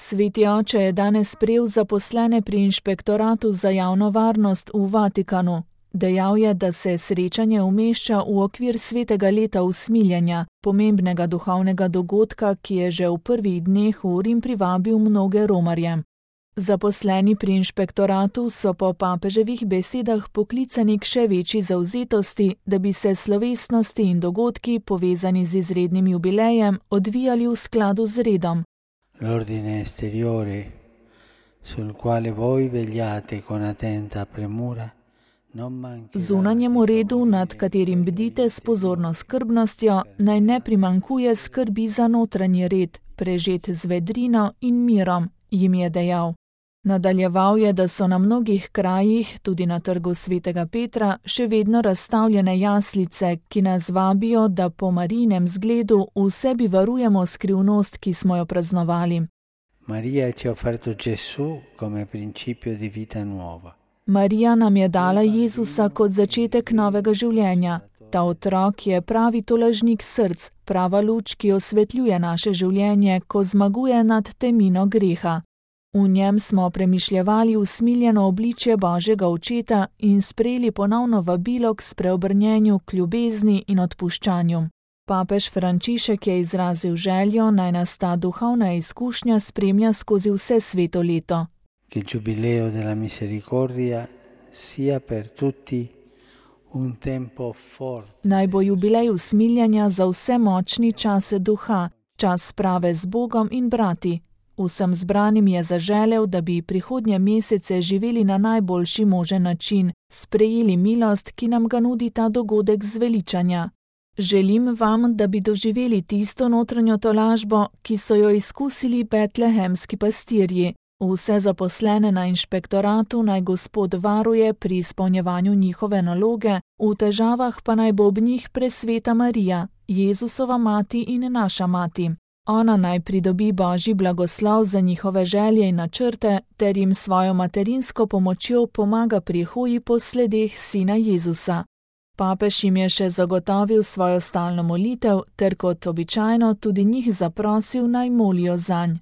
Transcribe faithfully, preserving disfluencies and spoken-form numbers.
Sveti oče je danes sprejel zaposlene pri Inšpektoratu za javno varnost v Vatikanu. Dejal je, da se srečanje umešča v okvir svetega leta usmiljenja, pomembnega duhovnega dogodka, ki je že v prvih dneh v Rim privabil mnoge romarje. Zaposleni pri inšpektoratu so po papeževih besedah poklicani k še večji zavzetosti, da bi se slovesnosti in dogodki, povezani z izrednim jubilejem, odvijali v skladu z redom. L'ordine esteriore, sul quale voi vegliate con attenta premura, Zunanjemu redu, nad katerim bdite s pozorno skrbnostjo, naj ne primanjkuje skrbi za notranji red, prežet z vedrino in mirom, jim je dejal. Nadaljeval je, da so na mnogih krajih, tudi na trgu svetega Petra, še vedno razstavljene jaslice, ki nas vabijo, da po Marijinem zgledu v sebi varujemo skrivnost, ki smo jo praznovali. Maria ci ha offerto Gesù come principio di vita nuova. Marija nam je dala Jezusa kot začetek novega življenja. Ta otrok je pravi tolažnik src, prava luč, ki osvetljuje naše življenje, ko zmaguje nad temino greha. V njem smo premišljevali usmiljeno obličje Božjega Očeta in sprejeli ponovno vabilo k spreobrnjenju, k ljubezni in odpuščanju. Papež Frančišek je izrazil željo, naj nas ta duhovna izkušnja spremlja skozi vse sveto leto. Che il giubileo della misericordia sia per tutti un tempo forte. Naj bo jubilej usmiljanja za vse močni čase duha, čas sprave z Bogom in brati. Vsem zbranim je zaželel, da bi prihodnje mesece živeli na najboljši možen način, sprejeli milost, ki nam ga nudi ta dogodek zveličanja. Želim vam, da bi doživeli tisto notranjo tolažbo, ki so jo izkusili betlehemski pastirji. Vse zaposlene na inšpektoratu naj Gospod varuje pri izpolnjevanju njihove naloge, v težavah pa naj bo ob njih presveta Marija, Jezusova mati in naša mati. Ona naj pridobi Božji blagoslov za njihove želje in načrte, ter jim svojo materinsko pomočjo pomaga pri hoji po sledeh sina Jezusa. Papež jim je še zagotovil svojo stalno molitev, ter kot običajno tudi njih zaprosil, naj molijo zanj.